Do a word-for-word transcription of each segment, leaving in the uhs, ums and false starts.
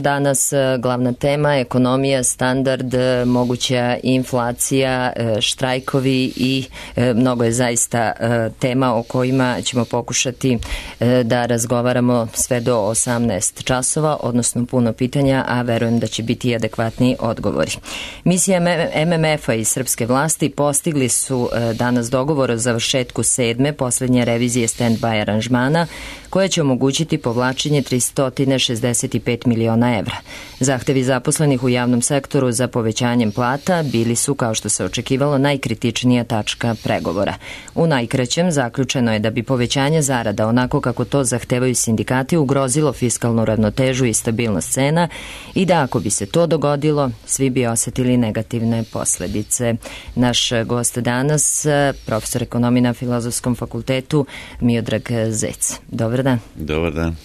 Danas glavna tema ekonomija, standard, moguća inflacija, štrajkovi i mnogo je zaista tema o kojima ćemo pokušati da razgovaramo sve do osamnaest časova, odnosno puno pitanja, a verujem da će biti adekvatni odgovori. Misija M M F-a i srpske vlasti postigli su danas dogovor o završetku sedme, poslednje revizije stand-by aranžmana, koja će omogućiti povlačenje tristo šezdeset pet miliona evra. Zahtevi zaposlenih u javnom sektoru za povećanjem plata bili su, kao što se očekivalo, najkritičnija tačka pregovora. U najkraćem zaključeno je da bi povećanje zarada, onako kako to zahtevaju sindikati, ugrozilo fiskalnu ravnotežu i stabilnost cena i da ako bi se to dogodilo, svi bi osetili negativne posledice. Naš gost danas, profesor ekonomije na Filozofskom fakultetu, Miodrag Zec. Dobar dan. Dobar dan.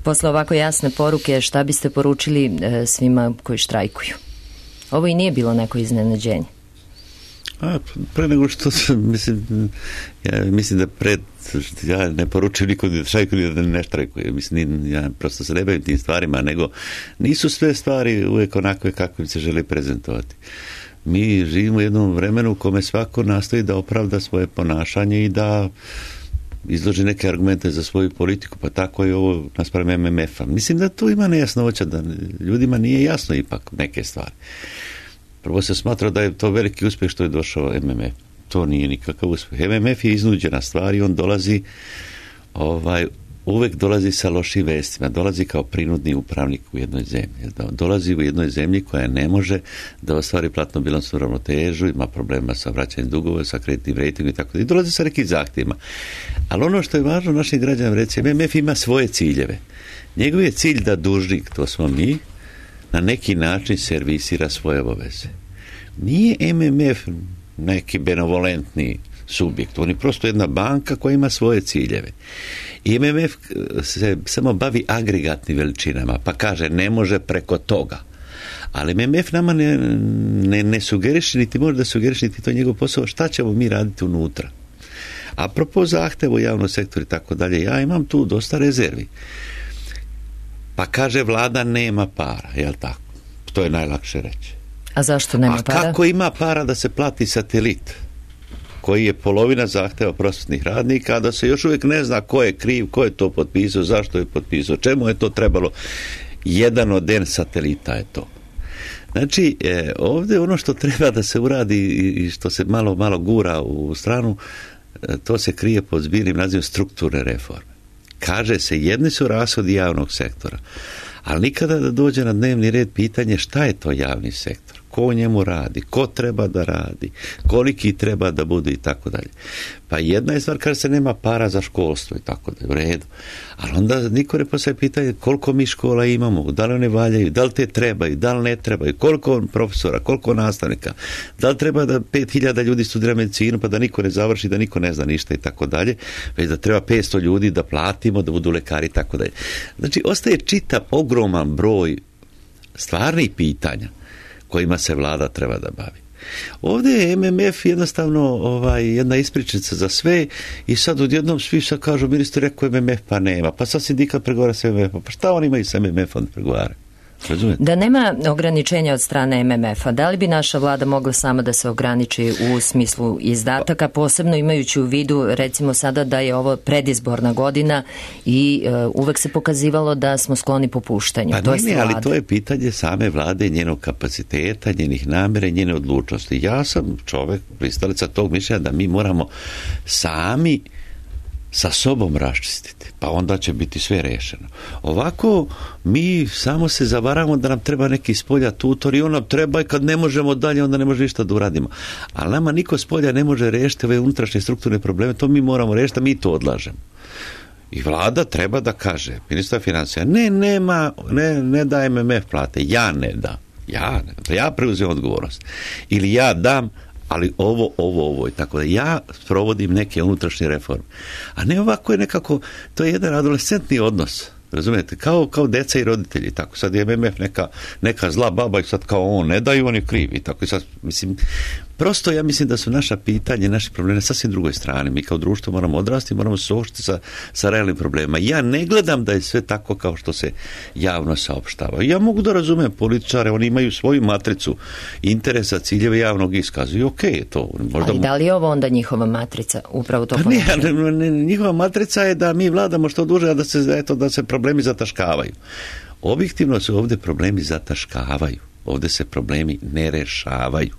Posle ovako jasne poruke, šta biste poručili e, svima koji štrajkuju? Ovo i nije bilo neko iznenađenje. A, pre nego što mislim, ja mislim da pred, ja ne poručujem nikom da štrajkuju, da ne štrajkuje. Mislim, ja prosto se ne bavim tim stvarima, nego nisu sve stvari uvijek onakve kakve se žele prezentovati. Mi živimo u jednom vremenu u kome svako nastoji da opravda svoje ponašanje i da izloži neke argumente za svoju politiku, pa tako je ovo naspram M M F-a. Mislim da tu ima nejasnoća, da ljudima nije jasno ipak neke stvari. Prvo se smatra da je to veliki uspjeh što je došao M M F. To nije nikakav uspjeh. M M F je iznuđena stvar i on dolazi, ovaj, uvek dolazi sa lošim vestima. Dolazi kao prinudni upravnik u jednoj zemlji. Dolazi u jednoj zemlji koja ne može da ostvari platno bilansnu ravnotežu, ima problema sa vraćanjem dugova, sa kreditnim rejtingom i tako da. I dolazi sa nekim zahtjevima. Ali ono što je važno našim građanima reći, M M F ima svoje ciljeve. Njegov je cilj da dužnik, to smo mi, na neki način servisira svoje obaveze. Nije M M F neki benevolentni subjekt. On je prosto jedna banka koja ima svoje ciljeve. I M M F se samo bavi agregatnim veličinama, pa kaže ne može preko toga. Ali M M F nama ne, ne, ne sugeriše, niti može da sugeriše, niti to je njegov posao, šta ćemo mi raditi unutra. Apropo zahteva u javnom sektoru i tako dalje, ja imam tu dosta rezervi. Pa kaže vlada nema para, jel tako? To je najlakše reći. A zašto nema A para? A kako ima para da se plati satelit, koji je polovina zahteva prosvetnih radnika, a da se još uvijek ne zna ko je kriv, ko je to potpisao, zašto je potpisao, čemu je to trebalo. Jedan od N satelita je to. Znači, e, ovdje ono što treba da se uradi i što se malo, malo gura u stranu, e, to se krije pod zbirnim nazivom strukturne reforme. Kaže se, jedni su rashodi javnog sektora, ali nikada da dođe na dnevni red pitanje šta je to javni sektor, ko u njemu radi, ko treba da radi, koliki treba da bude i tako dalje. Pa jedna je stvar kada se nema para za školstvo i tako dalje, u redu. Ali onda niko ne postavlja pitanje koliko mi škola imamo, da li one valjaju, da li te trebaju, da li ne trebaju, koliko profesora, koliko nastavnika, da li treba da pet hiljada ljudi studira medicinu pa da niko ne završi, da niko ne zna ništa i tako dalje, već da treba petsto ljudi da platimo, da budu lekari i tako dalje. Znači, ostaje čitav ogroman broj stvarnih pitanja kojima se vlada treba da bavi. Ovdje je M M F jednostavno ovaj, jedna ispričnica za sve i sad odjednom svi sad kažu, ministar rekao M M F pa nema, pa sad sindikat pregovara sa M M F-om, pa šta oni imaju sa M M F-om da pregovaraju? Razumijete? Da nema ograničenja od strane M M F-a, da li bi naša vlada mogla sama da se ograniči u smislu izdataka, posebno imajući u vidu recimo sada da je ovo predizborna godina i uh, uvek se pokazivalo da smo skloni popuštanju. Pa to nije, ali to je pitanje same vlade, njenog kapaciteta, njenih namjera i njene odlučnosti. Ja sam čovjek, pristalica tog mišljenja da mi moramo sami sa sobom raščistiti, pa onda će biti sve rešeno. Ovako mi samo se zavaramo da nam treba neki spolja tutor i on nam treba i kad ne možemo dalje, onda ne može ništa da uradimo. Ali nama niko spolja ne može rešiti ove unutrašnje strukturne probleme, to mi moramo rešiti, a mi to odlažemo. I vlada treba da kaže, ministar financija, ne, nema, ne, ne da M M F plate, ja ne dam, ja ne dam, ja preuzem odgovornost. Ili ja dam, ali ovo, ovo, ovo i tako da ja provodim neke unutrašnje reforme. A ne ovako je nekako, to je jedan adolescentni odnos, razumijete, kao, kao deca i roditelji, tako sad je M M F neka, neka zla baba i sad kao on ne daju, on je kriv i tako i sad, mislim, prosto ja mislim da su naša pitanja, naši problemi na sasvim drugoj strani. Mi kao društvo moramo odrasti, moramo se suočiti sa, sa realnim problemima. Ja ne gledam da je sve tako kao što se javno saopštava. Ja mogu da razumem političare, oni imaju svoju matricu interesa, ciljeve javnog iskaza i okej okay, to. Možda... Ali da li je ovo onda njihova matrica? Upravo to pa ne, ne, ne, njihova matrica je da mi vladamo što duže, a da se, eto, da se problemi zataškavaju. Objektivno se ovdje problemi zataškavaju. Ovdje se problemi ne rešavaju.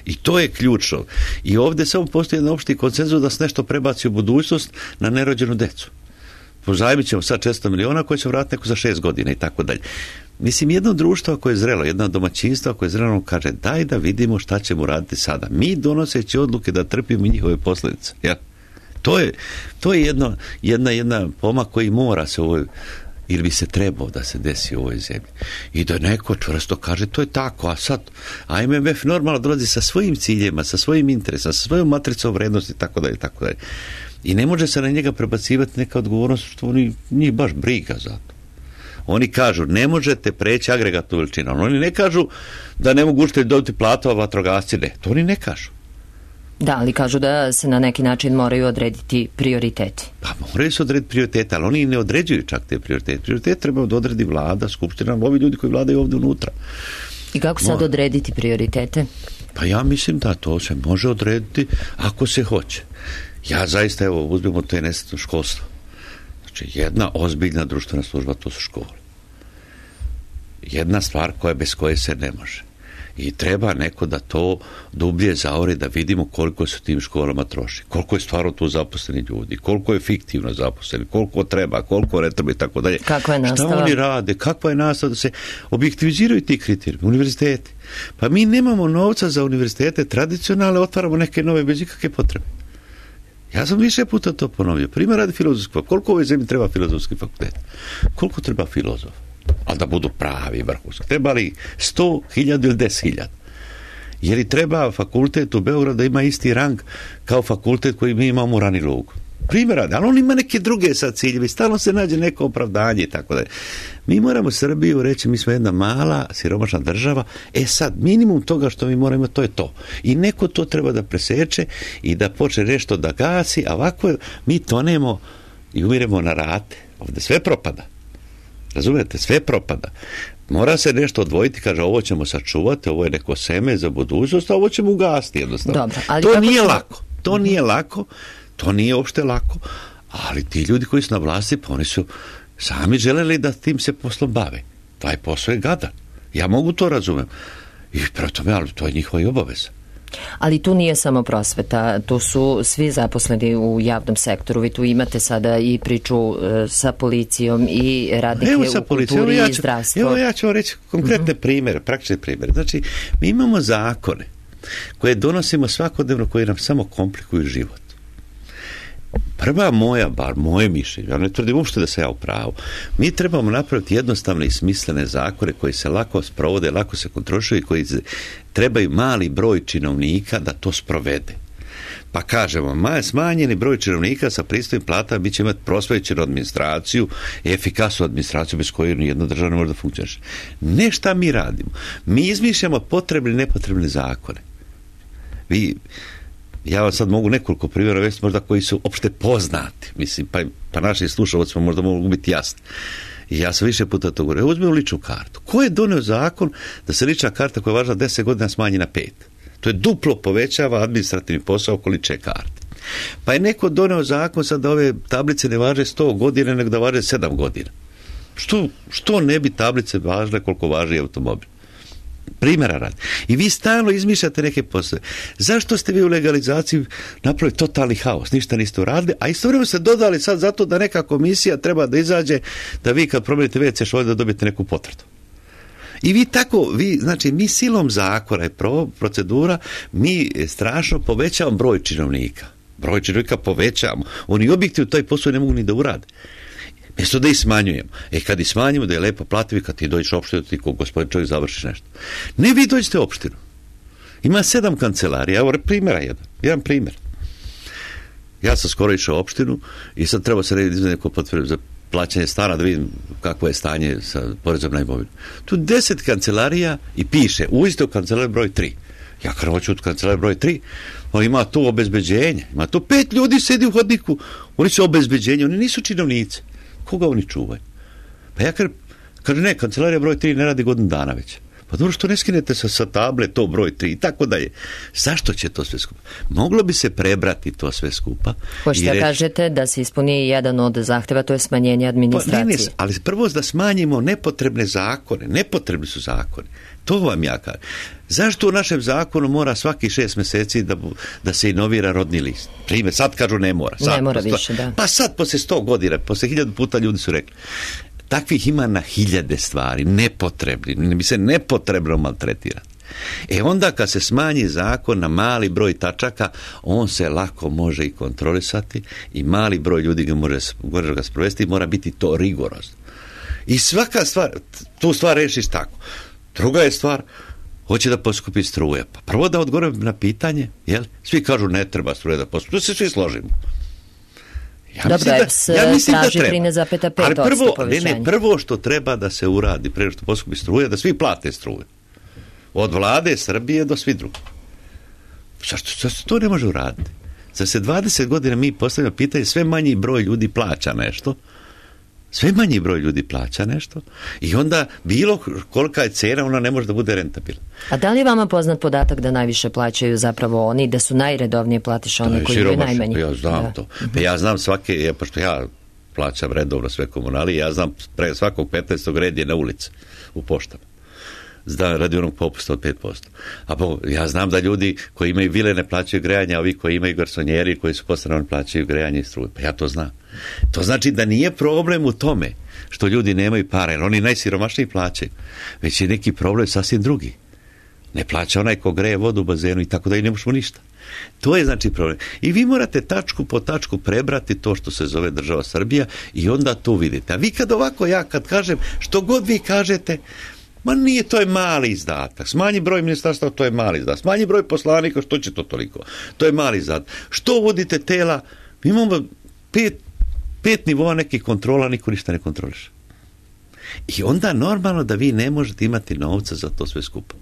I to je ključno. I ovdje samo postoji jedan opšti konsenzus da se nešto prebaci u budućnost na nerođenu decu. Pozajmit ćemo sad četiristo miliona koje će vratiti neko za šest godina i tako dalje. Mislim, jedno društvo koje je zrelo, jedno domaćinstvo koje je zrelo kaže daj da vidimo šta ćemo raditi sada. Mi donoseći odluke da trpimo njihove posljedice. Ja. To je, to je jedno, jedna, jedna pomak koji mora se u ovoj ili bi se trebao da se desi u ovoj zemlji. I da neko čvrsto kaže to je tako, a sad a M M F normalno dolazi sa svojim ciljima, sa svojim interesom, sa svojom matricom vrednosti i tako dalje, tako dalje. I ne može se na njega prebacivati neka odgovornost što oni, njih baš briga za to. Oni kažu ne možete preći agregatnu veličinu. Oni ne kažu da ne mogu učitelji dobiti platu, a vatrogasci ne. To oni ne kažu. Da, ali kažu da se na neki način moraju odrediti prioriteti. Pa moraju se odrediti prioritete, ali oni ne određuju čak te prioritete. Prioritete treba da odredi vlada, skupština, ovi ljudi koji vladaju ovdje unutra. I kako sad odrediti prioritete? Pa ja mislim da to se može odrediti ako se hoće. Ja zaista, evo, uzmemo to je nesretno školstvo. Znači, jedna ozbiljna društvena služba, to su škole. Jedna stvar koja bez koje se ne može. I treba neko da to dublje zaori, da vidimo koliko se tim školama troši, koliko je stvarno tu zaposleni ljudi, koliko je fiktivno zaposleni, koliko treba, koliko ne treba i tako dalje. Kakva je nastava? Šta oni rade, kakva je nastava, da se objektiviziraju ti kriterijumi, univerziteti. Pa mi nemamo novca za univerzitete tradicionalne, otvaramo neke nove bez ikakve potrebe. Ja sam više puta to ponovio. Primjer radi filozofski fakultet. Koliko u ovoj zemlji treba filozofski fakultet? Koliko treba filozof? A da budu pravi vrhunski. Treba li sto hiljada ili deset hiljada? Je li treba fakultet u Beogradu da ima isti rang kao fakultet koji mi imamo u Rani Lugu? Primjer radi, ali on ima neke druge sad ciljeve, stalno se nađe neko opravdanje i tako da. Mi moramo Srbiju reći, mi smo jedna mala, siromašna država, e sad, minimum toga što mi moramo, to je to. I neko to treba da preseče i da počne nešto da gasi, a ovako mi tonemo i umiremo na rate. Ovdje sve propada. Razumijete, sve propada. Mora se nešto odvojiti, kaže ovo ćemo sačuvati, ovo je neko seme za budućnost, a ovo ćemo ugasiti jednostavno. Dobro, ali to nije ćemo... lako. To mm-hmm. nije lako. To nije uopšte lako. Ali ti ljudi koji su na vlasti, pa oni su sami želeli da tim se poslom bave. Taj posao je gadan. Ja mogu to razumem. I prema tome, ali to je njihova i obaveza. Ali tu nije samo prosveta, tu su svi zaposleni u javnom sektoru. Vi tu imate sada i priču uh, sa policijom i radnike evo, u kulturi ja i zdravstvu. Evo ja ću vam reći konkretne mm-hmm. primjere, praktične primjere. Znači, mi imamo zakone koje donosimo svakodnevno, koje nam samo komplikuju život. Prva moja, bar moje mišljenje, ja ne tvrdim uopšte da se ja u pravu, mi trebamo napraviti jednostavne i smislene zakone koji se lako sprovode, lako se kontrolišu i koji trebaju mali broj činovnika da to sprovede. Pa kažemo, ma, smanjeni broj činovnika sa pristojnim platama mi će imati prosvećenu administraciju, efikasnu administraciju bez koje nijedna država ne može da funkcioniše. Ne šta mi radimo. Mi izmišljamo potrebne i nepotrebne zakone. Vi... Ja vam sad mogu nekoliko primjera vesti možda koji su opšte poznati. Mislim, pa, pa naši slušalci možda mogu biti jasni. I ja sam više puta to govorio. Uzmemo ličnu kartu. Ko je donio zakon da se lična karta koja je važila deset godina smanji na pet? To je duplo povećava administrativni posao oko lične karte. Pa je neko donio zakon sad da ove tablice ne važe sto godina, nego da važe sedam godina. Što, što ne bi tablice važile koliko važi automobil? Primjera radi. I vi stalno izmišljate neke poslove. Zašto ste vi u legalizaciji napravili totalni haos? Ništa niste uradili, a istovremeno ste dodali sad zato da neka komisija treba da izađe da vi kad promijenite ve ce šolje da dobijete neku potvrdu. I vi tako, vi, znači mi silom zakona i procedura, mi strašno povećavamo broj činovnika. Broj činovnika povećavamo. Oni objektivno taj posao ne mogu ni da urade. Mjesto da ih smanjujemo. E kad ih smanjimo, da je lepo plativi, kad ti dođeš u opštinu, ti ko gospodin čovjek završiš nešto. Ne, vi dođete u opštinu. Ima sedam kancelarija. Evo primjera jedan. Jedan primjer. Ja sam skoro išao u opštinu i sad treba se rediti za neko potvrdu za plaćanje stana, da vidim kakvo je stanje sa porezom na imovinu. Tu deset kancelarija i piše, u istoj kancelariji broj tri. Ja kad hoću od kancelarije broj tri, on ima tu obezbeđenje, ima tu pet ljudi sedi u hodniku, oni su obezbeđenje, oni nisu činovnici. Koga oni čuvaju? Pa ja kažem, kaže ne, kancelarija broj tri ne radi godinu dana već. Pa dobro, što ne skinete sa, sa table to broj tri i tako dalje. Zašto će to sve skupa? Moglo bi se prebrati to sve skupa. Hoćete da kažete da se ispuni jedan od zahteva, to je smanjenje administracije. Pa, ne, ne, ali prvo da smanjimo nepotrebne zakone. Nepotrebni su zakoni. To vam ja kažem. Zašto u našem zakonu mora svaki šest mjeseci da, da se inovira rodni list? Primjer, sad kažu ne mora. Sad, ne mora posto, više, da. Pa sad, poslije sto godina, poslije hiljadu puta ljudi su rekli. Takvih ima na hiljade stvari, nepotrebni, ne bi se nepotrebno maltretirati. E onda kad se smanji zakon na mali broj tačaka, on se lako može i kontrolisati i mali broj ljudi ga može, može ga sprovesti i mora biti to rigorozno. I svaka stvar, tu stvar rešiš tako. Druga je stvar, hoće da poskupi struje. Pa prvo da odgovorim na pitanje, jel? Svi kažu ne treba struje da poskupi, to se svi složimo. Ja Dobro, mislim da, ja mislim traži da trinaest zarez pet posto prvo, povećanje. Ne, ne, prvo što treba da se uradi, prije što poskupi struje, da svi plate struje. Od vlade Srbije do svi drugi. Zašto, zašto to ne može uraditi? Za se dvadeset godina mi postavljamo pitanje, sve manji broj ljudi plaća nešto, sve manji broj ljudi plaća nešto i onda bilo kolika je cena, ona ne može da bude rentabilna. A da li je vama poznat podatak da najviše plaćaju zapravo oni, da su najredovnije platiše oni koji imaju najmanje? Ja znam da. to. Pa ja znam svake, ja, pošto ja plaćam redovno sve komunalije, ja znam pre svakog petnaestog red je na ulici u poštama. Zda, radi onog popusta od pet posto. A po, ja znam da ljudi koji imaju vile ne plaćaju grejanje, a ovi koji imaju garsonjeri koji su postavljeni plaćaju grejanje i struju. Pa ja to znam. To znači da nije problem u tome što ljudi nemaju para, jer oni najsiromašniji plaćaju. Već je neki problem sasvim drugi. Ne plaća onaj ko greje vodu u bazenu i tako da i ne možemo ništa. To je znači problem. I vi morate tačku po tačku prebrati to što se zove država Srbija i onda to vidite. A vi kad ovako, ja kad kažem, što god vi kažete, ma nije, to je mali izdatak. Smanji broj ministarstva, to je mali izdatak. Smanji broj poslanika, što će to toliko? To je mali izdatak. Što uvodite tela? Mi imamo pet, pet nivoa nekih kontrola, niko ništa ne kontroliše. I onda normalno da vi ne možete imati novca za to sve skupo.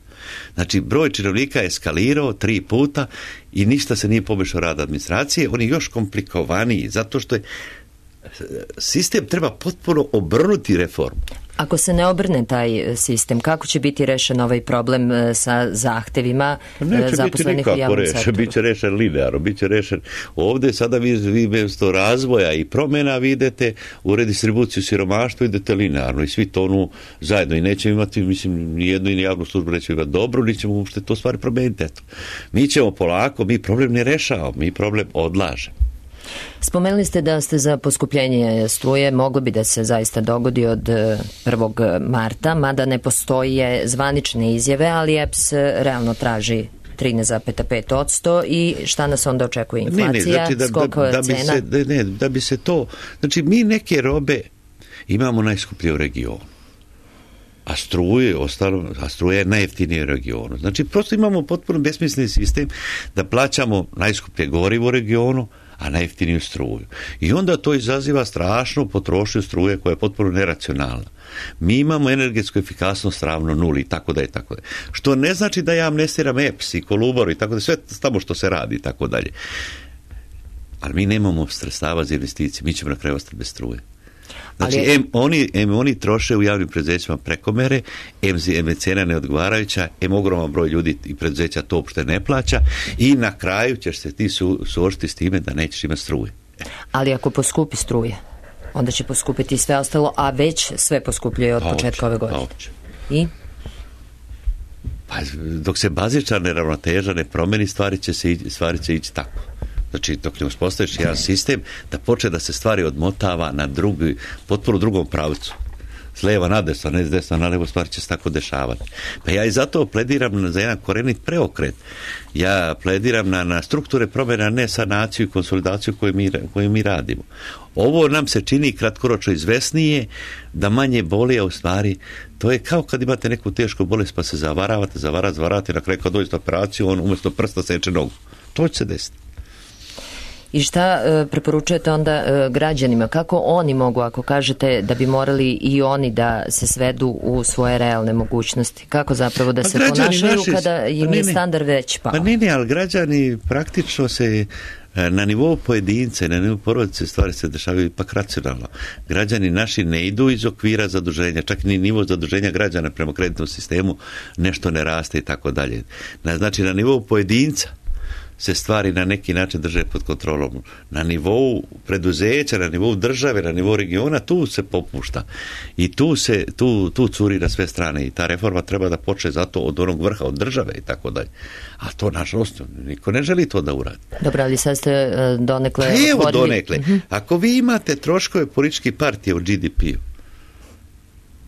Znači, broj činovnika je eskalirao tri puta i ništa se nije poboljšao rad administracije. On je još komplikovaniji, zato što je sistem treba potpuno obrnuti reformu. Ako se ne obrne taj sistem, kako će biti rešen ovaj problem sa zahtevima zaposlenih u javnom sektoru? Biće rešen linearno, biće rešen. Ovdje sada vi, vi mjesto razvoja i promjena vi idete u redistribuciju siromaštva, idete linearno i svi tonu zajedno i nećemo imati, mislim, ni jednu i ni javnu službu nećemo imati dobro, ni ćemo uopšte to stvari promijeniti. Eto. Mi ćemo polako, mi problem ne rešavamo, mi problem odlažemo. Spomenuli ste da ste za poskupljenje struje, moglo bi da se zaista dogodi od prvog marta, mada ne postoje zvanične izjave, ali E P S realno traži trinaest zarez pet posto i šta nas onda očekuje? Inflacija, ne, ne, znači da, skok da, da bi cena? Se, da, ne, da bi se to, znači mi neke robe imamo najskuplje u regionu. A struje, ostalo, a struje je najjeftinije u regionu. Znači, prosto imamo potpuno besmisleni sistem da plaćamo najskuplje gorivo u regionu, a najjeftiniju struju. I onda to izaziva strašnu potrošnju struje koja je potpuno neracionalna. Mi imamo energetsku efikasnost ravno nuli i tako da je tako da je. Što ne znači da ja amnestiram E P S i Kolubor i tako da sve tamo što se radi i tako dalje. Ali mi nemamo sredstava za investicije, mi ćemo na kraju ostati bez struje. Znači, Ali... em, oni, em oni troše u javnim preduzećima prekomere, em, em je cena neodgovarajuća, em ogroman broj ljudi i preduzeća to uopšte ne plaća i na kraju ćeš se ti su, suočiti s time da nećeš imati struje. Ali ako poskupi struje, onda će poskupiti sve ostalo, a već sve poskupljuje od pa početka oče, ove godine. Pa I? Pa dok se bazična neravnoteža ne promeni, stvari će, se, stvari će ići tako. Znači, dok ne uspostaviš jedan sistem da počne da se stvari odmotava na drugi, potpuno drugom pravcu. S lijeva na desno, ne s desna na levo, stvari će se tako dešavati. Pa ja i zato plediram za jedan korenit preokret. Ja plediram na, na strukture promjena, ne sanaciju i konsolidaciju koju mi, koju mi radimo. Ovo nam se čini kratkoročno izvesnije, da manje boli, a u stvari to je kao kad imate neku tešku bolest pa se zavaravate, zavaravate, zavaravate, na kraju kad dođete operaciju, on umjesto prsta seče nogu. To će se desiti. I šta uh, preporučujete onda uh, građanima? Kako oni mogu, ako kažete da bi morali i oni da se svedu u svoje realne mogućnosti? Kako zapravo da pa se ponašaju naši, kada im je standard već pao? Pa ne, ne, ali građani praktično se na nivou pojedince, na nivou porodice stvari se dešavaju ipak racionalno. Građani naši ne idu iz okvira zaduženja, čak ni nivo zaduženja građana prema kreditnom sistemu nešto ne raste i tako dalje. Znači, na nivou pojedinca se stvari na neki način drže pod kontrolom. Na nivou preduzeća, na nivou države, na nivou regiona, tu se popušta. I tu se, tu, tu curi na sve strane. I ta reforma treba da počne zato od onog vrha, od države i tako dalje. A to, nažalost, niko ne želi to da uradi. Dobro, ali sad ste donekle... Pa evo otvorili... donekle. Uh-huh. Ako vi imate troškove političkih partija u G D P-u,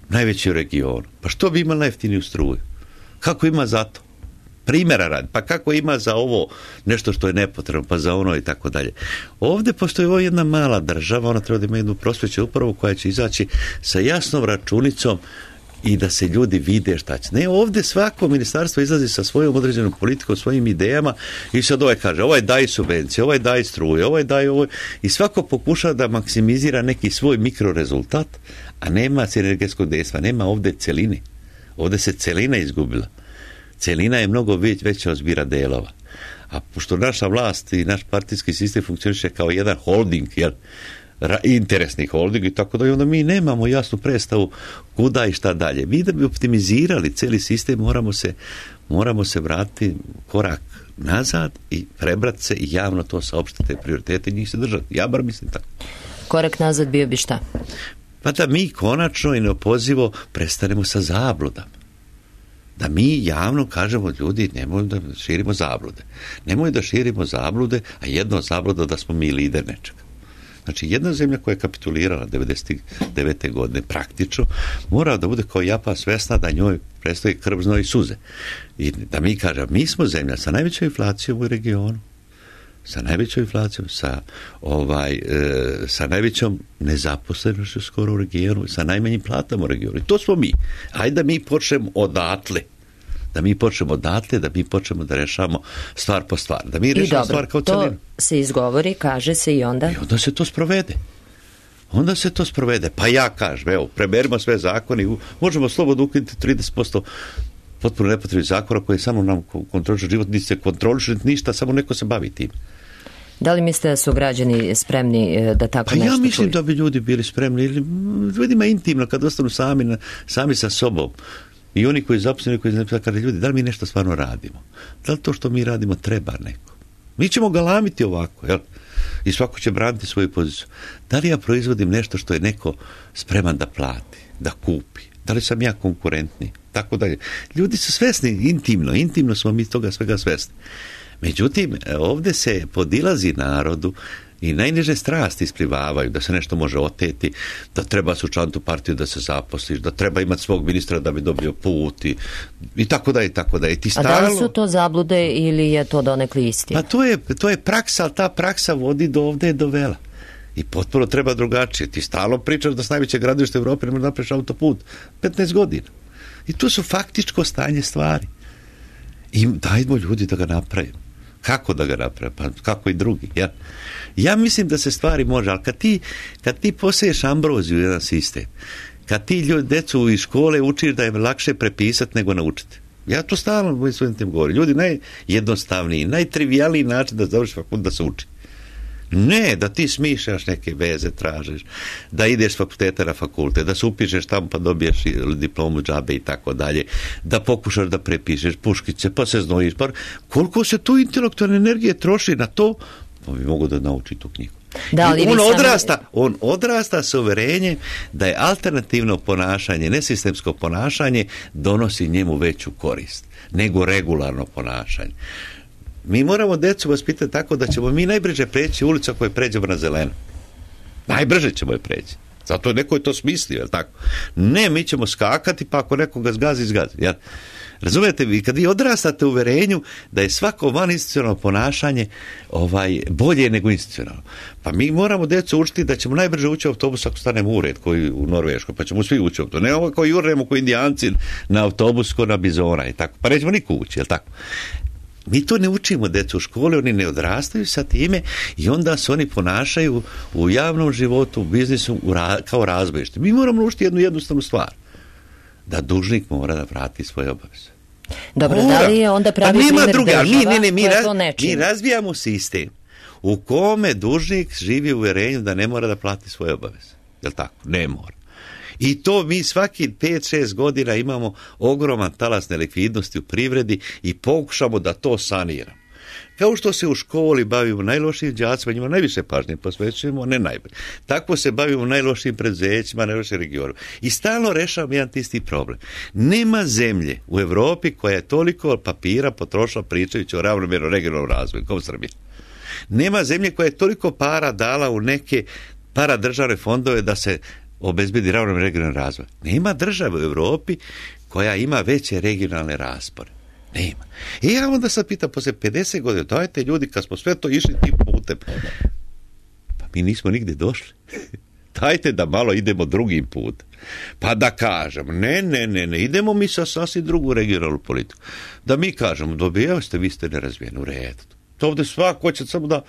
najveći u regionu, pa što bi imali najjeftiniju struju? Kako ima za to? Primjera radi, pa kako ima za ovo nešto što je nepotrebno, pa za ono i tako dalje. Ovdje postoji ovo jedna mala država, ona treba da ima jednu prosveću upravu koja će izaći sa jasnom računicom i da se ljudi vide šta će. Ne, ovdje svako ministarstvo izlazi sa svojom određenom politikom, svojim idejama i sad ovaj kaže, ovaj daje subvencije, ovaj daje struje, ovaj daje ovo, i svako pokuša da maksimizira neki svoj mikrorezultat, a nema sinergetskog dejstva, nema ovdje celine. Ovdje se celina izgubila. Celina je mnogo već, veća od zbira delova. A pošto naša vlast i naš partijski sistem funkcioniše kao jedan holding, jel, interesni holding i tako da, onda mi nemamo jasnu predstavu kuda i šta dalje. Mi da bi optimizirali cijeli sistem moramo se, moramo se vratiti korak nazad i prebrati se i javno to saopštiti prioritete i njih se držati. Ja bar mislim tako. Korak nazad bio bi šta? Pa da mi konačno i neopozivo prestanemo sa zabludama. Da mi javno kažemo, ljudi, nemoj da širimo zablude. Nemoj da širimo zablude, a jedno od zabluda da smo mi lider nečega. Znači, jedna zemlja koja je kapitulirala devedeset devete godine praktično, mora da bude kao Japan svesna da njoj predstoji krv, znoj i suze. I da mi kažemo, mi smo zemlja sa najvećom inflacijom u regionu, sa najvećom inflacijom, sa, ovaj, e, sa najvećom nezaposlenošću skoro u regionu, sa najmanjim platama u regionu. I to smo mi. Hajde da mi počnemo odatle. Da mi počnemo odatle, da mi počnemo da rešamo stvar po stvar. Da mi rešamo stvar kao celinu. To se izgovori, kaže se i onda? I onda se to sprovede. Onda se to sprovede. Pa ja kažem, evo, preberimo sve zakone, možemo slobodno ukinuti trideset posto potpuno nepotrebnih zakona koji samo nam kontrolišu život, niti se kontrolišu ništa, samo neko se bavi tim. Da li mislite da su građani spremni da tako pa nešto čuju? Pa ja mislim čuju? Da bi ljudi bili spremni, ili ljudima intimno, kad ostanu sami, sami sa sobom. I oni koji zaposleni, koji zaposleni, kada ljudi, da li mi nešto stvarno radimo? Da li to što mi radimo treba neko? Mi ćemo galamiti ovako, jel? I svako će braniti svoju poziciju. Da li ja proizvodim nešto što je neko spreman da plati, da kupi? Da li sam ja konkurentni? Tako dalje. Ljudi su svesni, intimno, intimno smo mi toga svega svesni. Međutim, ovdje se podilazi narodu i najniže strasti isplivavaju, da se nešto može oteti, da treba se učlaniti u partiju da se zaposliš, da treba imati svog ministra da bi dobio put i, i tako da i tako da. I ti stalno... A da li su to zablude ili je to donekli istina? Pa to je, to je praksa, ali ta praksa vodi do ovdje do vela. I potpuno treba drugačije. Ti stalno pričaš da s najveće gradilište u Evropi ne možeš napraviš autoput. petnaest godina. I to su faktičko stanje stvari. I dajmo ljudi da ga napravimo. Kako da ga napravimo? Pa kako i drugi. Ja, ja mislim da se stvari može, ali kad ti, kad ti poseješ ambroziju u jedan sistem, kad ti ljudi, decu iz škole učiš da je lakše prepisati nego naučiti. Ja to stalno mojim svojim tim govorim. Ljudi, najjednostavniji, najtrivijalniji način da završi fakultet da se uči. Ne, da ti smišljaš neke veze, tražiš, da ideš s fakulteta na fakultet, da se upišeš tamo pa dobiješ diplomu džabe i tako dalje, da pokušaš da prepišeš puškice, pa se znojiš, pa koliko se tu intelektualne energije troši na to, pa bi mogu da nauči tu knjigu. Da, on, odrasta, sami... on odrasta sa uverenjem da je alternativno ponašanje, nesistemsko ponašanje donosi njemu veću korist nego regularno ponašanje. Mi moramo decu vaspitati tako da ćemo mi najbrže preći ulicu ako je pređemo na zeleno. Najbrže ćemo je preći. Zato neko je to smislio, jel tako? Ne, mi ćemo skakati, pa ako nekoga zgazi, zgazi. Jel? Razumijete, vi kad vi odrastate u uverenju da je svako vaninstitucionalno ponašanje ovaj, bolje nego institucionalno. Pa mi moramo decu učiti da ćemo najbrže ući u autobus ako stanemo u red koji u Norveškoj, pa ćemo svi ući u autobus. Ne ovo kao jurnemo kao indijanci na autobus ko na bizona i tako. Pa nećemo niko ući, jel tako? Mi to ne učimo djecu u školi, oni ne odrastaju sa time i onda se oni ponašaju u javnom životu, u biznisu u ra- kao razbojište. Mi moramo učiti jednu jednostavnu stvar. Da dužnik mora da vrati svoje obaveze. Dobro, mora. Da li je onda pravi pa primjer druga, država mi, ne, ne, mi, koja raz, to ne čini? Mi razvijamo sistem u kome dužnik živi u uvjerenju da ne mora da plati svoje obaveze. Jel tako? Ne mora. I to mi svaki pet šest godina imamo ogroman talas nelikvidnosti u privredi i pokušamo da to saniramo. Kao što se u školi bavimo najlošijim đacima, njima najviše pažnje posvećujemo, ne najbolje. Tako se bavimo najlošijim preduzećima, najlošijim regionima. I stalno rešavamo jedan isti problem. Nema zemlje u Europi koja je toliko papira potrošila pričajući o ravnomjernom regionalnom razvoju, kao Srbija. Nema zemlje koja je toliko para dala u neke paradržavne fondove da se obezbedi ravnomjerni regionalni razvoj. Nema države u Europi koja ima veće regionalne raspore. Nema. I ja onda sad pitam, posle pedeset godina, dajte ljudi, kad smo sve to išli tim putem, pa mi nismo nigde došli. Dajte da malo idemo drugim putem. Pa da kažemo, ne, ne, ne, ne, idemo mi sa sasvim drugu regionalnu politiku. Da mi kažemo, dobijao ste, vi ste nerazvijeni, u redu. To ovdje svako hoće samo da,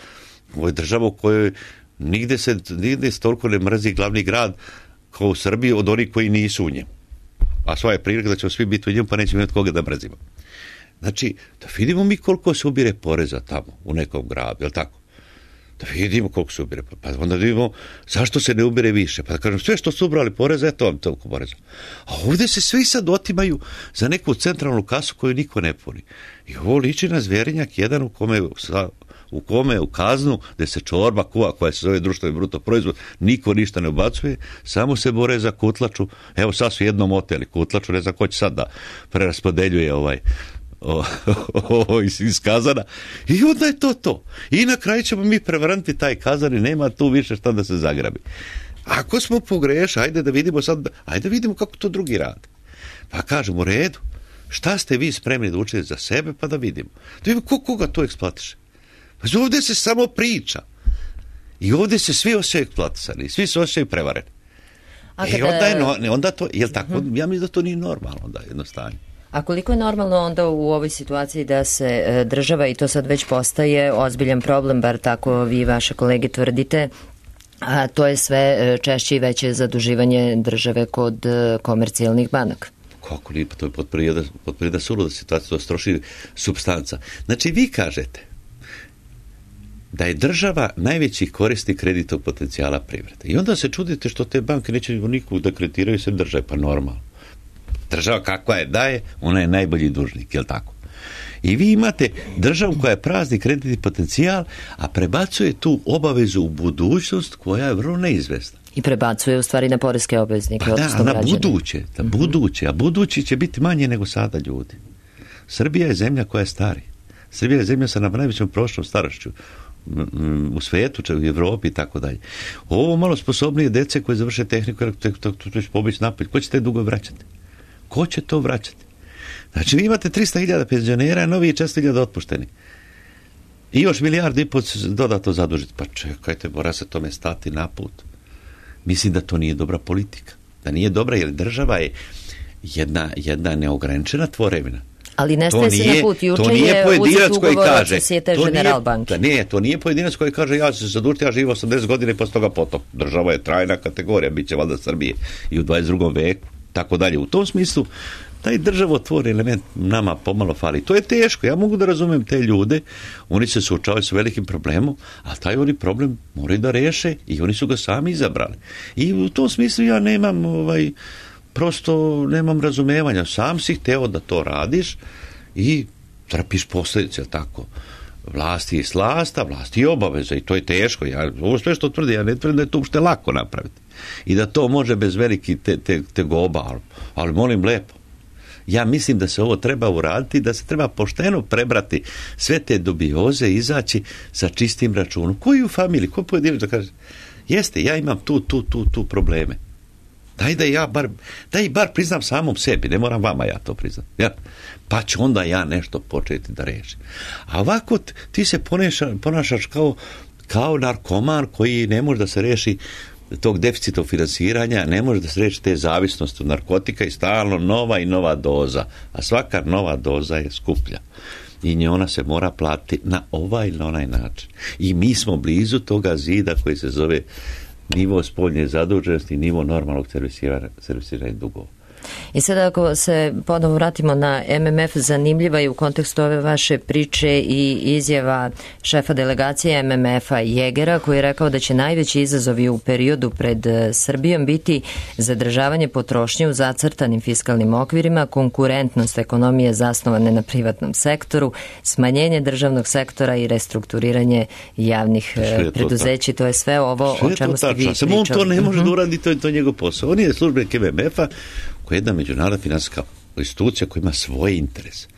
ovo je država u kojoj nigde se, nigde se toliko ne mrzi glavni grad kao u Srbiji od onih koji nisu u njemu. A sva je prilika da ćemo svi biti u njemu, pa nećemo imati koga da mrzimo. Znači, da vidimo mi koliko se ubire poreza tamo, u nekom gradu, je li tako? Da vidimo koliko se ubire, pa onda vidimo zašto se ne ubire više. Pa da kažem, sve što su ubrali poreza, eto vam toliko poreza. A ovdje se svi sad otimaju za neku centralnu kasu koju niko ne puni. I ovo liči na Zvjerinjak jedan u kome sa u kome u kaznu gdje se čorba kuva koja se zove društveni bruto proizvod, niko ništa ne ubacuje, samo se bore za kutlaču. Evo sad su jednom oteli kutlaču, ne znam ko će sad da preraspodeljuje ovaj o, o, o, iz, iz kazana. I onda je to to. I na kraju ćemo mi prevrnuti taj kazan i nema tu više šta da se zagrabi. Ako smo pogrešili, ajde da vidimo sad, ajde da vidimo kako to drugi rade. Pa kažemo, u redu, šta ste vi spremni da učite za sebe, pa da vidimo. Da vidimo ko, koga to eksploatiše. Pa ovdje se samo priča. I ovdje se svi osjećaju eksploatisani, svi se osjećaju prevareni. A kada... E onda je, no, onda to, jel tako, uh-huh. Ja mislim da to nije normalno, onda jednostavno. A koliko je normalno onda u ovoj situaciji da se država, i to sad već postaje ozbiljan problem, bar tako vi i vaše kolege tvrdite, a to je sve češće i veće zaduživanje države kod komercijalnih banaka? Kako nije, pa to je potprije da suluda situacija, to stroši supstanca. Znači vi kažete da je država najveći korisnik kreditnog potencijala privrede. I onda se čudite što te banke neće nikog da kreditiraju se države, pa normalno. Država kakva je daje, ona je najbolji dužnik, je li tako? I vi imate državu koja je prazni kreditni potencijal, a prebacuje tu obavezu u budućnost koja je vrlo neizvesna. I prebacuje u stvari na poreske obveznike. Pa da, na buduće, na buduće, a budući će biti manje nego sada ljudi. Srbija je zemlja koja je stari. Srbija je zemlja sa najvećom prošlom starošću u svijetu, u Evropi i tako dalje. Ovo malo sposobnije dece koje završe tehniku, to će pobići napolje. Ko će te dugo vraćati? Ko će to vraćati? Znači, vi imate tristo hiljada penzionera, a novi četiristo hiljada otpušteni. I još milijardu i pol dodatno zadužiti. Pa čekajte, mora se tome stati na put. Mislim da to nije dobra politika. Da nije dobra, jer država je jedna, jedna neograničena tvorevina. Ali nestaje se na put. Juče je uzet ugovor od Societe General banke. Ne, to nije pojedinac koji kaže ja ću se zadužiti, ja živim osamdeset godina i posle toga potom. Država je trajna kategorija, bit će valjda Srbije i u dvadeset drugom veku, tako dalje. U tom smislu, taj državotvorni element nama pomalo fali. To je teško, ja mogu da razumem te ljude, oni se suočavaju sa velikim problemom, a taj oni problem moraju da reše i oni su ga sami izabrali. I u tom smislu ja nemam ovaj prosto nemam razumevanja. Sam si hteo da to radiš i trpiš posljedice, tako. Vlasti je slasta, vlasti je obaveza i to je teško. Ja, ovo sve što tvrdi, ja ne tvrdim da je to uopšte lako napraviti. I da to može bez veliki te, te, tegoba, ali, ali molim lepo. Ja mislim da se ovo treba uraditi, da se treba pošteno prebrati sve te dubioze, izaći sa čistim računom. Koji u familiji, ko pojedinac da kaže, jeste, ja imam tu, tu, tu, tu probleme. Daj da ja bar, daj bar priznam samom sebi, ne moram vama ja to priznam. Ja, pa ću onda ja nešto početi da rešim. A ovako ti se ponaša, ponašaš kao, kao narkoman koji ne može da se reši tog deficita finansiranja, ne može da se reši te zavisnosti od narkotika i stalno nova i nova doza. A svaka nova doza je skuplja. i nje ona se mora platiti na ovaj ili na onaj način. I mi smo blizu toga zida koji se zove nivo spoljne zaduženosti, nivo normalnog servisiranja dugova. I sad ako se ponovo vratimo na M M F, zanimljiva je u kontekstu ove vaše priče i izjava šefa delegacije M M F-a Jegera, koji je rekao da će najveći izazovi u periodu pred Srbijom biti zadržavanje potrošnje u zacrtanim fiskalnim okvirima, konkurentnost ekonomije zasnovane na privatnom sektoru, smanjenje državnog sektora i restrukturiranje javnih preduzeća. To, to je sve ovo sve o čemu ste vi pričali. Samo on to ne može uh-huh. da uradi, to je to njegov posao. On je službenik M M F-a, koja je jedna međunarodna finansijska institucija koja ima svoje interese.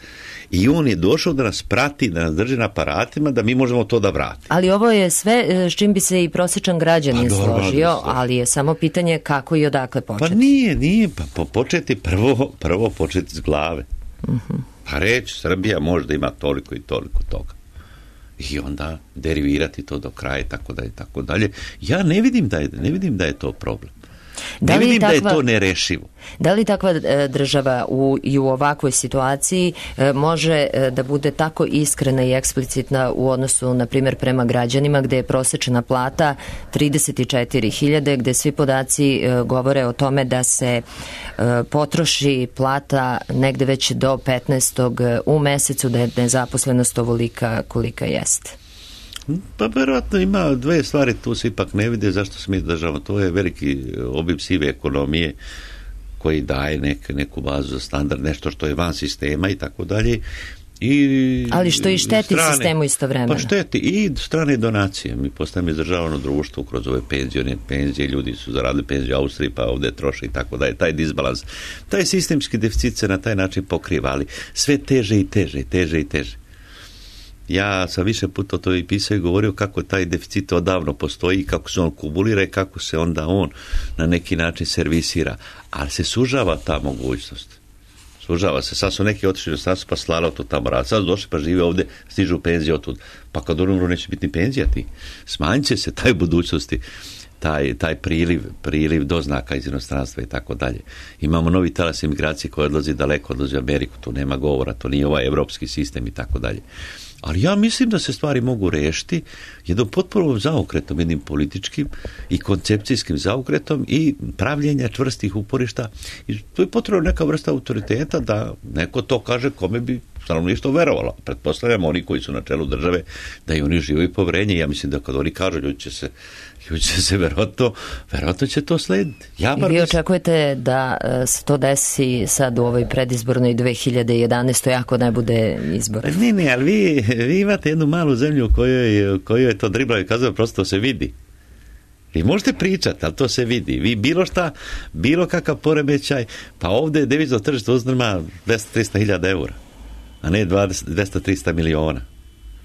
I on je došao da nas prati, da nas drži na aparatima, da mi možemo to da vratimo. Ali ovo je sve s čim bi se i prosječan građanin pa, složio, ali je samo pitanje kako i odakle početi. Pa nije, nije. Pa po početi prvo, prvo početi s glave. Uh-huh. Pa reći, Srbija možda ima toliko i toliko toga. I onda derivirati to do kraja i tako dalje, tako dalje. Ja ne vidim da je, ne vidim da je to problem. Da ne vidim takva, da je to nerešivo. Da li takva država u, i u ovakvoj situaciji može da bude tako iskrena i eksplicitna u odnosu, na primjer, prema građanima, gde je prosečna plata trideset četiri hiljade, gde svi podaci govore o tome da se potroši plata negde već do petnaestog u mesecu, da je nezaposlenost ovolika kolika jeste? Pa verovatno ima dve stvari, tu se ipak ne vide zašto se mi državamo. To je veliki obim sive ekonomije koji daje nek, neku bazu za standard, nešto što je van sistema i tako dalje. I ali što i šteti strane, sistemu istovremeno. Pa šteti i strane donacije. Mi postajemo izdržavano društvo kroz ove penzijone penzije, ljudi su zaradili penziju u Austriji pa ovdje troše i tako dalje. Taj disbalans, taj sistemski deficit se na taj način pokriva, ali sve teže i teže, teže i teže. Ja sam više puta to i pisao i govorio kako taj deficit odavno postoji i kako se on kumulira i kako se onda on na neki način servisira. Ali se sužava ta mogućnost. Sužava se. Sad su neki otišli u strancu pa slala to tamo rad. Sad su došli pa žive ovdje, stižu u penziju otud. Pa kad umru neće biti ni penzija ti. Smanjit će se taj budućnosti. Taj, taj priliv, priliv doznaka iz inostranstva i tako dalje. Imamo novi talas imigracije koji odlazi daleko, odlazi u Ameriku, tu nema govora, to nije ovaj evropski sistem i tako dalje. Ali ja mislim da se stvari mogu rešiti jednom potpuno zaokretom, jednim političkim i koncepcijskim zaokretom i pravljenja čvrstih uporišta. I to je potrebno neka vrsta autoriteta da neko to kaže kome bi stanovništvo verovalo. Pretpostavljamo oni koji su na čelu države da i oni žive poverenje. Ja mislim da kad oni kažu ljudi će se ljudi će se verovatno, verovatno će to slediti. Ja I vi očekujete da se to desi sad u ovoj predizbornoj dve hiljade jedanaestoj ako ne bude izbora? Ne, ne, ali vi, vi imate jednu malu zemlju u kojoj, kojoj je to dribla i kazao, prosto se vidi. Vi možete pričati, ali to se vidi. Vi bilo šta, bilo kakav poremećaj, pa ovdje devizno tržište uzdrma dvesta do trista hiljada eura, a ne dvesta do trista miliona.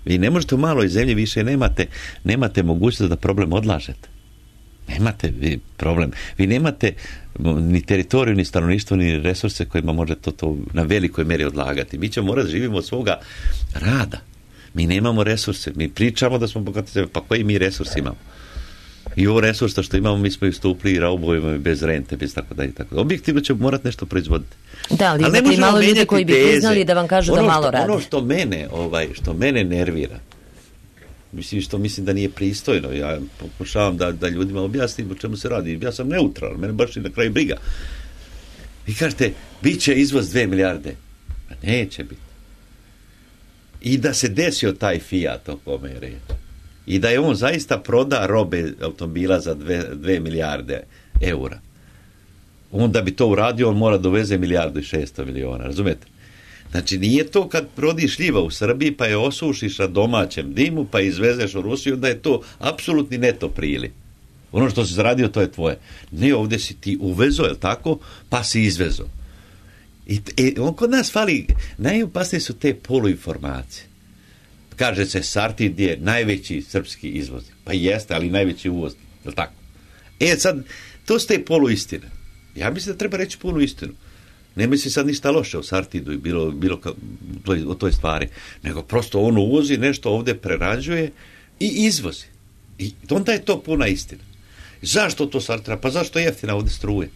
Vi ne možete u maloj zemlji više nemate, nemate mogućnost da problem odlažete. Nemate vi problem. Vi nemate ni teritoriju, ni stanovništvo, ni resurse kojima možete to, to na velikoj mjeri odlagati. Mi ćemo morati živimo od svoga rada. Mi nemamo resurse. Mi pričamo da smo bogati zemlje. Pa koji mi resurs imamo? I ovo resursa što imamo, mi smo istupli i raubojimo bez rente, bez tako dalje. Tako. Objektivno ćemo morati nešto proizvoditi. Da, ali, ali imate malo ljudi koji bi priznali da vam kažu ono da malo što, radi. Ono što mene, ovaj, što mene nervira, mislim što mislim da nije pristojno, ja pokušavam da, da ljudima objasnim o čemu se radi. Ja sam neutralan, mene baš i na kraju briga. Vi kažete, bit će izvoz dve milijarde. A neće biti. I da se desio taj Fiat o kome je reč. I da je on zaista proda robe automobila za dve, dve milijarde eura. On da bi to uradio, on mora doveze milijardu i šesto miliona, razumete? Znači, nije to kad prodiš šljiva u Srbiji, pa je osušiš na domaćem dimu, pa izvezeš u Rusiju, da je to apsolutni neto priliv. Ono što si zaradio, to je tvoje. Ne, ovdje si ti uvezo, je li tako? Pa si izvezo. I e, on kod nas fali, najopasnije su te poluinformacije. Kaže se, Sartid je najveći srpski izvoznik. Pa jeste, ali najveći uvoznik. Je li tako? E, sad, to su te poluistine. Ja mislim da treba reći punu istinu. Ne misli sad ništa loše o Sartidu i bilo, bilo ka, o toj stvari. Nego prosto on uvozi, nešto ovdje prerađuje i izvozi. I onda je to puna istina. Zašto to Sartida? Pa zašto je jeftina ovdje struje?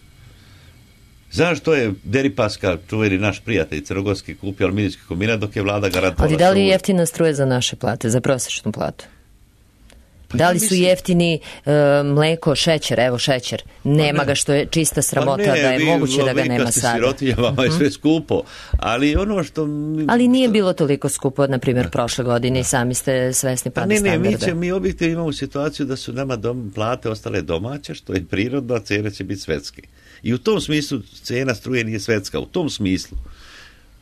Zašto je Deripaska, čuveni naš prijatelj crnogorski, kupio aluminijski kombinat dok je vlada garantovala? Ali da li je jeftina struje za naše plate, za prosječnu platu? Pa da li su jeftini uh, mleko, šećer, evo šećer, nema pa ga što je čista sramota pa ne, da je vi, moguće da ga nema sada. Sirotinja, vama je sve skupo, ali ono što... Ali nije bilo toliko skupo, na primjer, prošle godine i sami ste svesni pada ne, standarda. Ne, mi, će, mi objektivno imamo situaciju da su nama dom, plate ostale domaće, što je prirodno, a cena će biti svetske. I u tom smislu cena struje nije svetska, u tom smislu.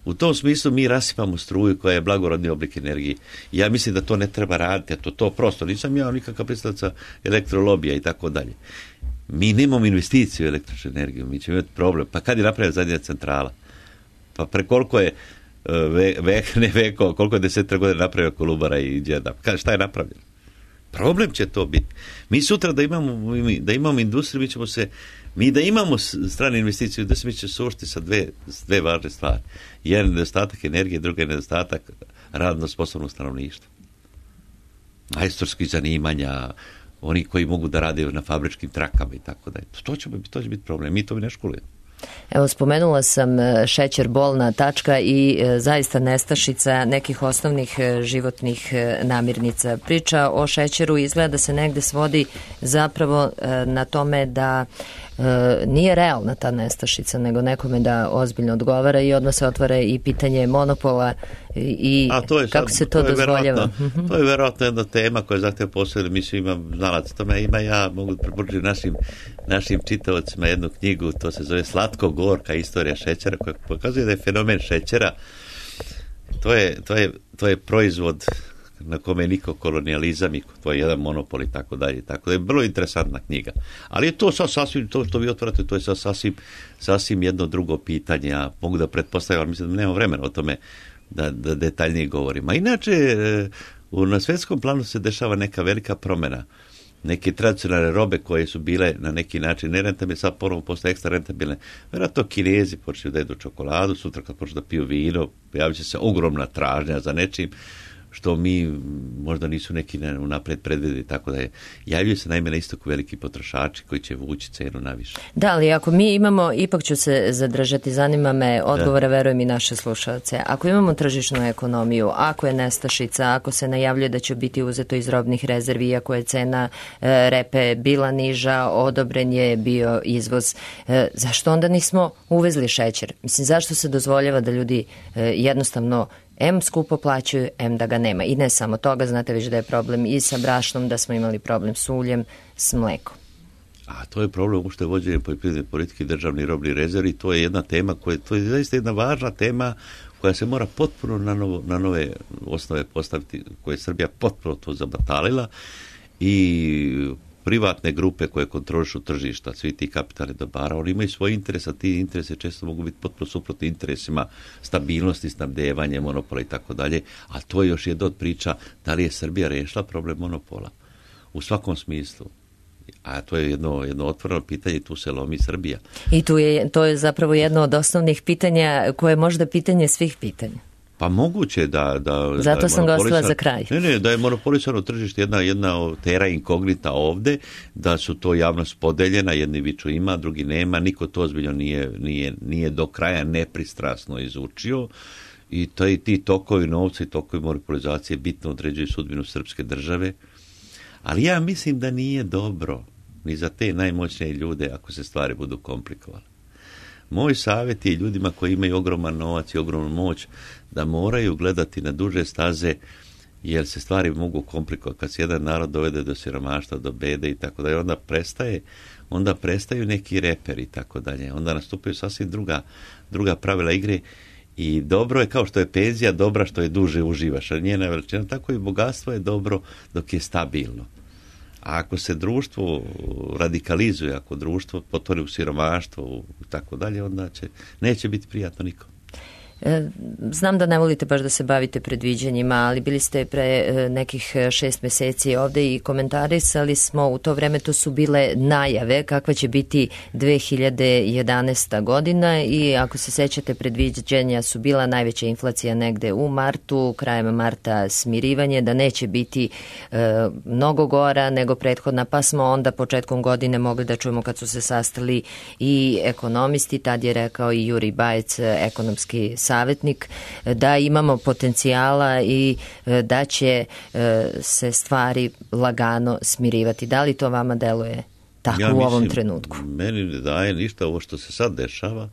U tom smislu mi rasipamo struju koja je blagorodni oblik energije. Ja mislim da to ne treba raditi, a to, to prosto. Nisam ja nikakav predstavnica elektrolobija i tako dalje. Mi nemamo investiciju u električnu energiju, mi ćemo imati problem. Pa kad je napravila zadnja centrala? Pa pre koliko je ve, ve, ne veko, koliko je desetak godina napravio Kolubara i Đeda? Šta je napravljeno? Problem će to biti. Mi sutra da imamo, da imamo industriju, mi ćemo se, mi da imamo strane investicije, da se mi će suočiti sa dve, dve važne stvari. Jedan je nedostatak energije, drugi je nedostatak radno sposobnog stanovništva. Majstorskih zanimanja, oni koji mogu da rade na fabričkim trakama i tako dalje. To će biti, to će biti problem. Mi to bi ne školujemo. Evo, spomenula sam šećer, bolna tačka i e, zaista nestašica nekih osnovnih e, životnih e, namirnica. Priča o šećeru izgleda da se negde svodi zapravo e, na tome da e, nije realna ta nestašica, nego nekome da ozbiljno odgovara i odmah se otvara i pitanje monopola i, i kako sad, se to, to dozvoljava. To je verovatno jedna tema koja zahteva posebno, mi svi imam znalac tome, ima ja mogu preporučiti našim, našim čitavacima jednu knjigu, to se zove Slatko-gorka istorija šećera, koja pokazuje da je fenomen šećera, to je, to je, to je proizvod na kome je niko kolonijalizam i to je jedan monopol i tako dalje. Tako da je vrlo interesantna knjiga. Ali je to sasvim, to što vi otvarate, to je sasvim, sasvim jedno drugo pitanje. Ja mogu da pretpostavljam, ali mislim da nema vremena o tome da, da detaljnije govorim. A inače, na svjetskom planu se dešava neka velika promjena. Neke tradicionalne robe koje su bile na neki način nerentabilne, sad ponovo postoje ekstra rentabilne. Vjerojatno Kinezi počnu da jedu čokoladu, sutra kad počnu da piju vino, pojavit će se ogromna tražnja za nečim što mi možda nisu neki unapred predvidjeli, tako da je, javljaju se naime na istoku veliki potrošači koji će vući cenu naviše. Da, ali ako mi imamo, ipak ću se zadržati, zanima me odgovore, da. Verujem i naše slušalce. Ako imamo tržišnu ekonomiju, ako je nestašica, ako se najavljuje da će biti uzeto iz robnih rezervi, iako je cena e, repe bila niža, odobren je bio izvoz, e, zašto onda nismo uvezli šećer? Mislim, zašto se dozvoljava da ljudi e, jednostavno em skupo plaćaju, em da ga nema. I ne samo toga, znate već da je problem i sa brašnom, da smo imali problem s uljem, s mlekom. A to je problem uopšte vođenje poljoprivredne politike i državni robni rezervi. To je jedna tema koja, to je zaista jedna važna tema koja se mora potpuno na, novo, na nove osnove postaviti, koje je Srbija potpuno to zabatalila i privatne grupe koje kontrolišu tržišta, svi ti kapitalni dobara, oni imaju svoje interese, a ti interese često mogu biti potpuno suprotni interesima stabilnosti, snabdevanja, monopola i tako dalje, a to je još jedna od priča da li je Srbija rešila problem monopola u svakom smislu. A to je jedno, jedno otvoreno pitanje, tu se lomi Srbija. I tu je, to je zapravo jedno od osnovnih pitanja koje je možda pitanje svih pitanja. Pa moguće da... da Zato da sam ga ostala za kraj. Ne, ne, da je monopolisano tržište jedna, jedna terra incognita ovde, da su to javnost podeljena, jedni viču ima, drugi nema, niko to ozbiljno nije, nije, nije do kraja nepristrasno izučio i taj, ti tokovi novca i tokovi monopolizacije bitno određuju sudbinu srpske države, ali ja mislim da nije dobro ni za te najmoćnije ljude ako se stvari budu komplikovale. Moj savjet je ljudima koji imaju ogroman novac i ogromnu moć da moraju gledati na duže staze, jer se stvari mogu komplikovati. Kad se jedan narod dovede do siromaštva, do bede i tako dalje, onda prestaje, onda prestaju neki reperi i tako dalje. Onda nastupaju sasvim druga, druga pravila igre i dobro je, kao što je penzija dobra što je duže uživaš, a njena veličina, tako i bogatstvo je dobro dok je stabilno. A ako se društvo radikalizuje, ako društvo potvori u siromaštvo i tako dalje, onda će, neće biti prijatno nikom. Znam da ne volite baš da se bavite predviđanjima, ali bili ste pre nekih šest meseci ovde i komentarisali smo u to vreme, to su bile najave kakva će biti dve hiljade jedanaesta godina i ako se sećate, predviđanja su bila najveća inflacija negde u martu, krajem marta smirivanje, da neće biti e, mnogo gora nego prethodna, pa smo onda početkom godine mogli da čujemo kad su se sastali i ekonomisti, tad je rekao i Juri Bajec, ekonomski savjetnik, da imamo potencijala i da će se stvari lagano smirivati. Da li to vama deluje tako ja u ovom mislim, trenutku? Meni ne daje ništa ovo što se sad dešava,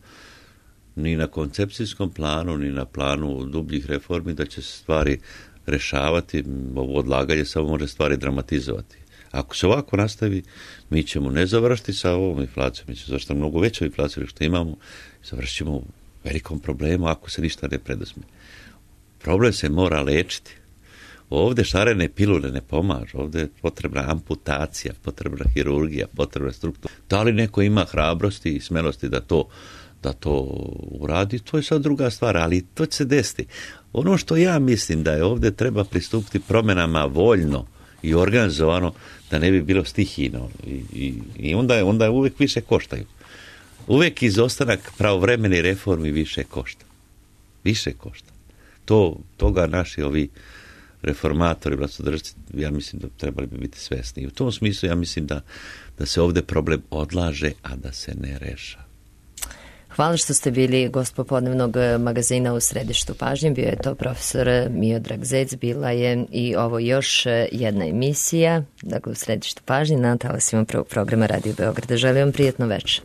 ni na koncepcijskom planu, ni na planu dubljih reformi, da će se stvari rešavati. Ovo odlaganje samo može stvari dramatizovati. Ako se ovako nastavi, mi ćemo ne završiti sa ovom inflacijom, mi ćemo završiti mnogo veću inflaciju što imamo, završit ćemo u velikom problemu ako se ništa ne preduzme. Problem se mora lečiti. Ovde šarene pilule ne pomažu, ovde je potrebna amputacija, potrebna hirurgija, potrebna struktura. Da li neko ima hrabrosti i smelosti da to, da to uradi, to je sad druga stvar, ali to će se desiti. Ono što ja mislim da je ovde treba pristupiti promjenama voljno i organizovano, da ne bi bilo stihijno. I, i, i onda, je, onda je uvek više koštaju. Uvek izostanak pravovremeni reformi više košta. Više košta. To, toga naši ovi reformatori, vlastodržci, ja mislim da trebali bi biti svesni. I u tom smislu ja mislim da, da se ovde problem odlaže, a da se ne reša. Hvala što ste bili gost popodnevnog magazina u središtu pažnje. Bio je to profesor Miodrag Zec. Bila je i ovo još jedna emisija, dakle u središtu pažnje, na talasima prvog programa Radio Beograda. Želim vam prijatno večer.